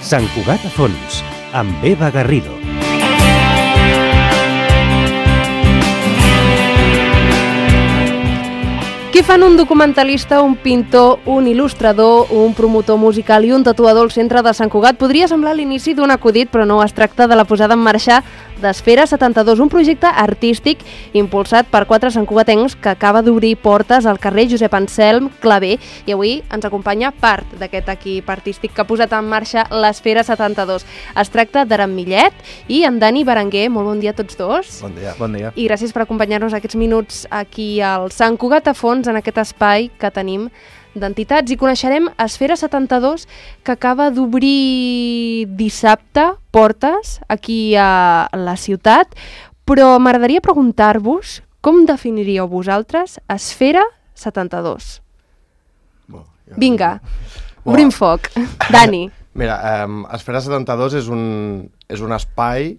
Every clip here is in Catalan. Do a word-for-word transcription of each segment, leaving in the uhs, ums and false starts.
Sant Cugat a fons, amb Eva Garrido. Què fan un documentalista, un pintor, un il·lustrador, un promotor musical i un tatuador al centre de Sant Cugat? Podria semblar l'inici d'un acudit, però no, es tracta de la posada en marxa d'Esfera setanta-dos, un projecte artístic impulsat per quatre santcugatencs que acaba d'obrir portes al carrer Josep Anselm Clavé, i avui ens acompanya part d'aquest equip artístic que ha posat en marxa l'Esfera setanta-dos. Es tracta d'Aram Millet i en Dani Berenguer. Molt bon dia a tots dos. Bon dia. Bon dia. I gràcies per acompanyar-nos aquests minuts aquí al Sant Cugat a fons, en aquest espai que tenim d'entitats, i coneixerem Esfera setanta-dos, que acaba d'obrir dissabte portes aquí a la ciutat, però m'agradaria preguntar-vos com definiríeu vosaltres Esfera setanta-dos. Bo, ja... Vinga, Bo. obrim foc. Dani. Mira, um, Esfera setanta-dos és un, és un espai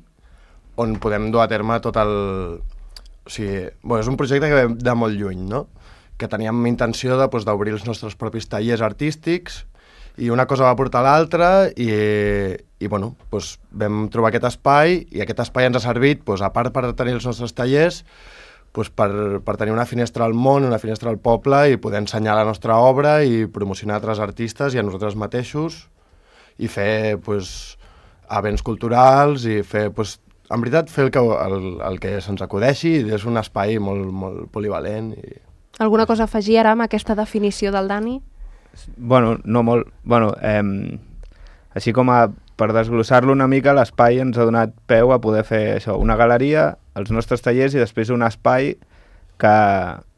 on podem dur a terme tot el... O sigui, bueno, és un projecte que ve de molt lluny, no? Que teníem intenció de, doncs, d'obrir els nostres propis tallers artístics, i una cosa va portar l'altra, i, i bueno, doncs, vam trobar aquest espai, i aquest espai ens ha servit, doncs, a part per tenir els nostres tallers, doncs, per, per tenir una finestra al món, una finestra al poble, i poder ensenyar la nostra obra i promocionar altres artistes i a nosaltres mateixos, i fer doncs, events culturals, i fer, doncs, en veritat, fer el que, el, el que se'ns acudeixi. És un espai molt, molt polivalent. I... Alguna cosa a afegir ara amb aquesta definició del Dani? Bueno, no molt. Bueno, eh, així com a, per desglossar-lo una mica, l'espai ens ha donat peu a poder fer això, una galeria, els nostres tallers, i després un espai que,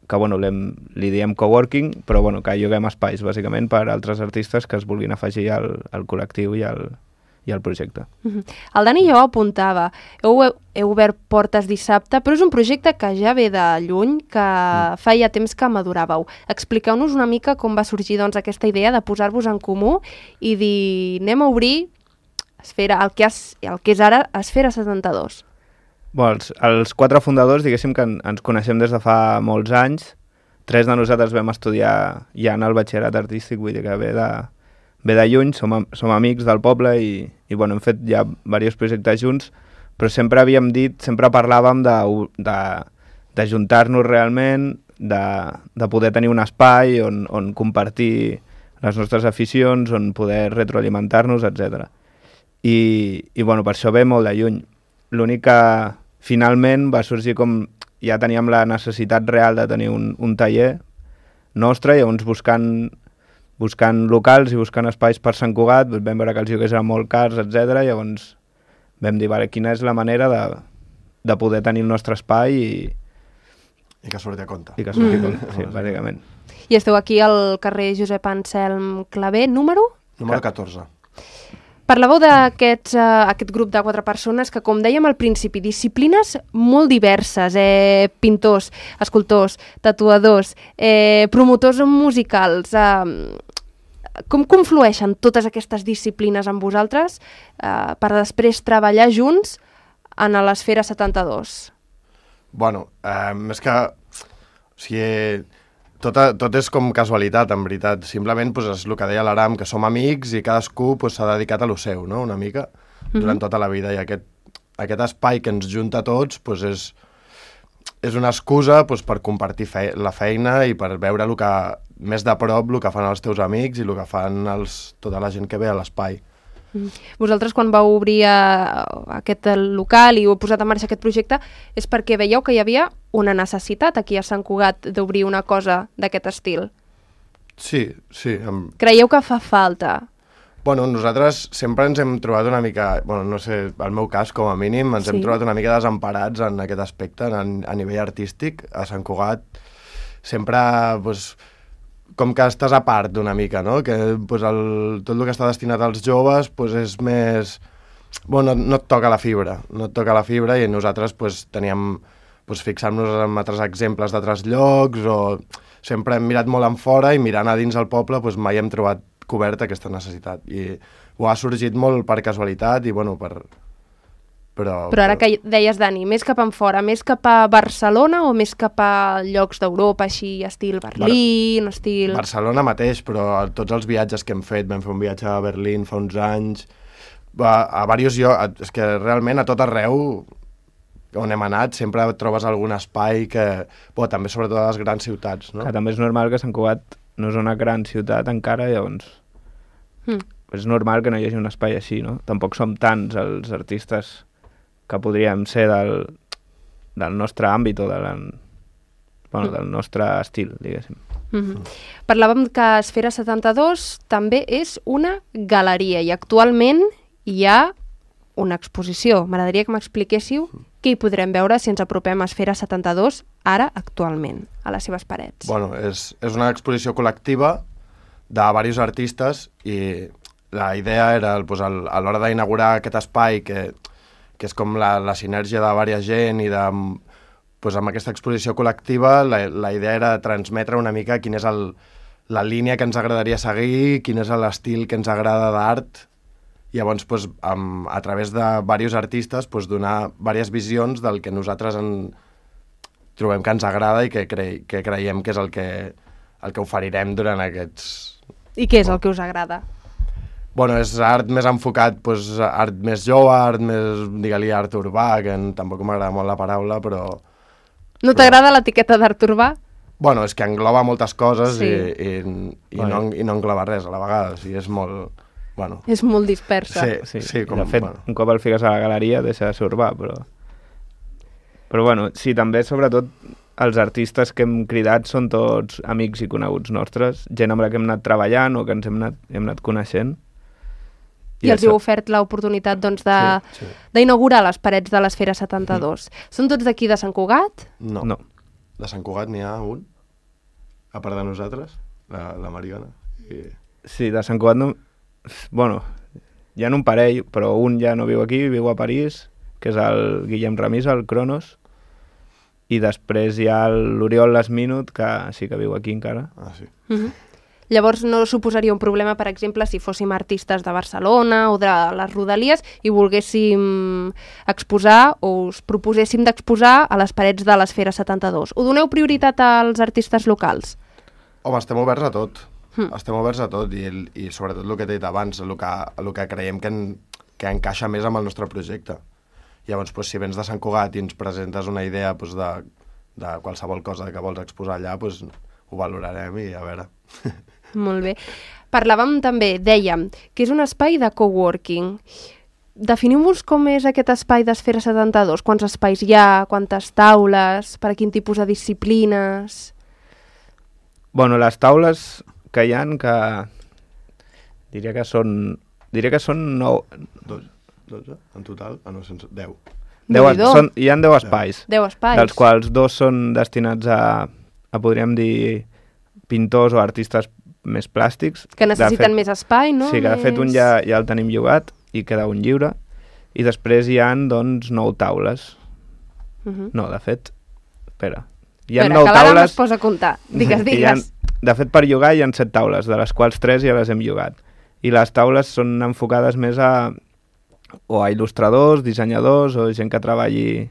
que bueno, li diem coworking, però bueno, que lloguem espais, bàsicament, per altres artistes que es vulguin afegir al, al col·lectiu i al, i al projecte. Uh-huh. El Dani ja ho apuntava. Heu, heu obert portes dissabte, però és un projecte que ja ve de lluny, que mm. feia temps que maduràveu. Expliqueu-nos una mica com va sorgir, doncs, aquesta idea de posar-vos en comú i dir, anem a obrir Esfera, el que, has, el que és ara Esfera setanta-dos. Bon, els, els quatre fundadors, diguéssim que en, ens coneixem des de fa molts anys. Tres de nosaltres vam estudiar ja en el batxillerat artístic, vull dir que ve de, ve de lluny, som, som amics del poble i, i bueno, hem fet ja diversos projectes junts, però sempre havíem dit, sempre parlàvem de, de, de juntar-nos realment, de, de poder tenir un espai on, on compartir les nostres aficions, on poder retroalimentar-nos, etcètera. I, i bueno, per això ve molt de lluny. L'únic que finalment va sorgir com ja teníem la necessitat real de tenir un, un taller nostre, i llavors buscant, buscant locals i buscant espais per Sant Cugat, vam veure que els lloguers eren molt cars, etcètera. Llavors vam dir, vale, quina és la manera de, de poder tenir el nostre espai i... I que surti a compte. I que surti a compte, sí, bàsicament. I esteu aquí al carrer Josep Anselm Clavé, número? Número catorze. Parlàveu d'aquest uh, aquest grup de quatre persones que, com dèiem al principi, disciplines molt diverses, eh, pintors, escultors, tatuadors, eh, promotors musicals. Eh, com conflueixen totes aquestes disciplines amb vosaltres eh, per després treballar junts en l'Esfera setanta-dos? Bueno, eh, més que... O sigui, tot, tot és com casualitat, en veritat. Simplement pues, és el que deia l'Aram, que som amics i cadascú pues, s'ha dedicat a lo seu, no?, una mica, durant mm-hmm. tota la vida. I aquest, aquest espai que ens junta a tots pues, és, és una excusa pues, per compartir fe la feina i per veure lo que, més de prop el que fan els teus amics i el que fan els, tota la gent que ve a l'espai. Vosaltres, quan vau obrir uh, aquest local i heu posat en marxa aquest projecte, és perquè veieu que hi havia una necessitat aquí a Sant Cugat d'obrir una cosa d'aquest estil? Sí, sí. Amb... Creieu que fa falta? Bueno, nosaltres sempre ens hem trobat una mica, bueno, no sé, al meu cas, com a mínim, ens sí. hem trobat una mica desemparats en aquest aspecte, en, a nivell artístic. A Sant Cugat sempre, doncs, com que estàs a part d'una mica, no? Que pues, el, tot el que està destinat als joves pues, és més... Bueno, no, no et toca la fibra, no et toca la fibra, i nosaltres pues, teníem... Pues, fixar-nos en altres exemples d'altres llocs, o sempre hem mirat molt en fora, i mirant a dins el poble pues, mai hem trobat coberta aquesta necessitat. I ho ha sorgit molt per casualitat i, bueno, per... Però, però ara que deies, Dani, més cap en fora, més cap a Barcelona o més cap a llocs d'Europa, així, estil Berlín, Bar estil... Barcelona mateix, però tots els viatges que hem fet, vam fer un viatge a Berlín fa uns anys, a, a diversos llocs, és que realment a tot arreu on hem anat sempre trobes algun espai que... Bo, també sobretot a les grans ciutats, no? Que també és normal que Sant Cugat no és una gran ciutat encara, llavors mm. és normal que no hi hagi un espai així, no? Tampoc som tants els artistes que podríem ser del, del nostre àmbit o de la, bueno, mm. del nostre estil, diguéssim. Mm-hmm. Parlàvem que Esfera setanta-dos també és una galeria i actualment hi ha una exposició. M'agradaria que m'expliquéssiu què hi podrem veure si ens apropem a Esfera setanta-dos ara, actualment, a les seves parets. Bueno, és, és una exposició col·lectiva de diversos artistes i la idea era, pues, el, a l'hora d'inaugurar aquest espai, que, que és com la, la sinergia de diversa gent i de, pues, amb aquesta exposició col·lectiva, la, la idea era transmetre una mica quina és el, la línia que ens agradaria seguir, quin és l'estil que ens agrada d'art. Llavors, pues, amb, a través de diversos artistes, pues, donar diverses visions del que nosaltres en, trobem que ens agrada i que, cre, que creiem que és el que, el que oferirem durant aquests... I què és el que us agrada? Bueno, és art més enfocat, pues, art més jove, art més, digue-li, art urbà, que tampoc m'agrada molt la paraula, però... No t'agrada l'etiqueta d'art urbà? Bueno, és que engloba moltes coses sí. i, i, i, bueno. no, i no engloba res a la vegada, o sigui, és molt... Bueno. És molt dispersa. Sí, sí, sí com, de fet, bueno. un cop el fiques a la galeria deixa de ser urbà, però... Però bueno, sí, també sobretot els artistes que hem cridat són tots amics i coneguts nostres, gent amb la que hem anat treballant o que ens hem anat, hem anat coneixent. I, I els heu ofert l'oportunitat doncs, d'inaugurar sí, sí. les parets de l'Esfera setanta-dos. Mm. Són tots d'aquí de Sant Cugat? No. no. De Sant Cugat n'hi ha un, a part de nosaltres, la, la Mariona. I... Sí, de Sant Cugat no... Bueno, hi ha un parell, però un ja no viu aquí, viu a París, que és el Guillem Ramisa, el Cronos, i després hi ha l'Oriol Lasminut, que sí que viu aquí encara. Ah, sí. Mm-hmm. Llavors no suposaria un problema, per exemple, si fóssim artistes de Barcelona o de les Rodalies i volguéssim exposar o us proposéssim d'exposar a les parets de l'Esfera setanta-dos. Ho doneu prioritat als artistes locals? Home, estem oberts a tot. Mm. Estem oberts a tot i, i sobretot el que t'he dit abans, el que, el que creiem que, en, que encaixa més amb el nostre projecte. Llavors, doncs, si vens de Sant Cugat i ens presentes una idea doncs, de, de qualsevol cosa que vols exposar allà, doncs, ho valorarem i a veure. Molt bé. Parlàvem també, dèiem, que és un espai de coworking. Definiu-vos com és aquest espai d'Esfera setanta-dos. Quants espais hi ha, quantes taules, per a quin tipus de disciplines... Bueno, les taules que hi ha, que diria que són diria que són nou... dotze en total? Ah, no, sense... deu. deu són, hi ha deu espais. deu espais. Dels quals dos són destinats a, a podríem dir, pintors o artistes més plàstics. Que necessiten fet, més espai, no? Sí, que de més... fet un ja, ja el tenim llogat i queda un lliure. I després hi ha, doncs, nou taules. Uh -huh. No, de fet, espera... Hi ha Espera, nou que l'Anna taules... es posa a comptar. Digues, digues. Ha, de fet, per llogar hi ha set taules, de les quals tres ja les hem llogat. I les taules són enfocades més a o a il·lustradors, dissenyadors o gent que treballi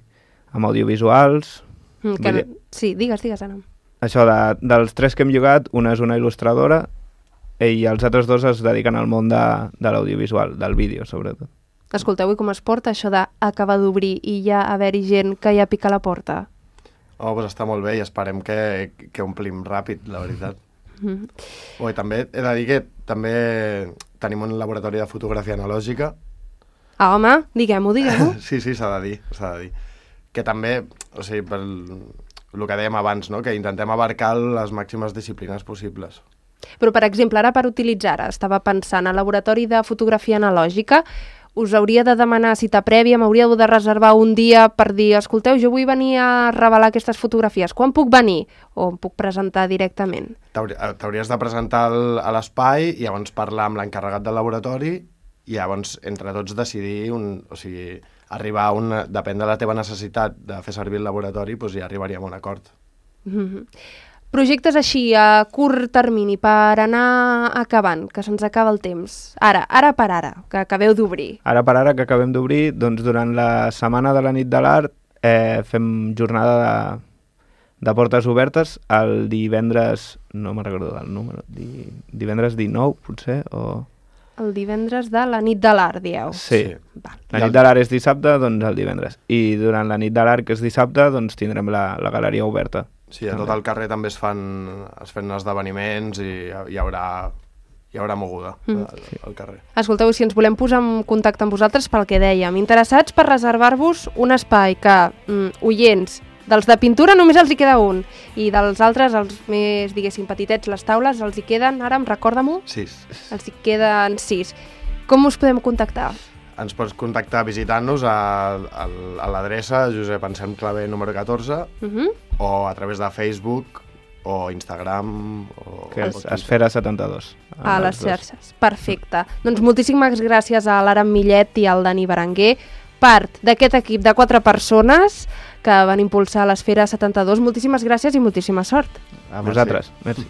amb audiovisuals. Mm, que no... Sí, digues, digues, Anna. Això, de, dels tres que hem llogat, una és una il·lustradora i els altres dos es dediquen al món de, de l'audiovisual, del vídeo, sobretot. Escolteu, i com es porta això d'acabar d'obrir i ja haver-hi gent que ja pica la porta? Oh, doncs està molt bé i esperem que, que omplim ràpid, la veritat. Mm-hmm. Oh, i també he de dir que també tenim un laboratori de fotografia analògica. Ah, home, diguem-ho, diguem-ho. Sí, sí, s'ha de dir, s'ha de dir. Que també, o sigui, per el que dèiem abans, no? Que intentem abarcar les màximes disciplines possibles. Però, per exemple, ara per utilitzar, ara estava pensant, al laboratori de fotografia analògica, us hauria de demanar cita prèvia, m'hauríeu de reservar un dia per dir, escolteu, jo vull venir a revelar aquestes fotografies, quan puc venir? O em puc presentar directament? T'hauries de presentar a l'espai i llavors parlar amb l'encarregat del laboratori i llavors entre tots decidir, un, o sigui, arribar a un... Depèn de la teva necessitat de fer servir el laboratori, doncs ja arribaríem a un acord. Mm-hmm. Projectes així, a curt termini, per anar acabant, que se'ns acaba el temps. Ara, ara per ara, que acabeu d'obrir. Ara per ara que acabem d'obrir, doncs durant la setmana de la nit de l'art eh, fem jornada de, de portes obertes el divendres, no me'n recordo del número, di, divendres dinou, potser, o... el divendres de la nit de l'art, dieu. Sí. Sí. Val. La nit de l'art és dissabte, doncs el divendres. I durant la nit de l'art, que és dissabte, doncs tindrem la, la galeria oberta. Sí, a tot el carrer també es fan, es fan esdeveniments i hi haurà, hi haurà moguda mm. al, al carrer. Escolteu, si ens volem posar en contacte amb vosaltres pel que dèiem, interessats per reservar-vos un espai que, mm, oients, dels de pintura només els hi queda un, i dels altres, els més, diguéssim, petitets, les taules, els hi queden, ara em recorda-m'ho? Sis. Els hi queden sis. Com us podem contactar? Ens pots contactar visitant-nos a, a, a l'adreça Josep Anselm Clavé número catorze Uh -huh. o a través de Facebook o Instagram o... Que és o Esfera setanta-dos. A les xarxes. Perfecte. Doncs moltíssimes gràcies a l'Aram Millet i al Dani Berenguer, part d'aquest equip de quatre persones que van impulsar l'Esfera setanta-dos. Moltíssimes gràcies i moltíssima sort. A vosaltres. Merci.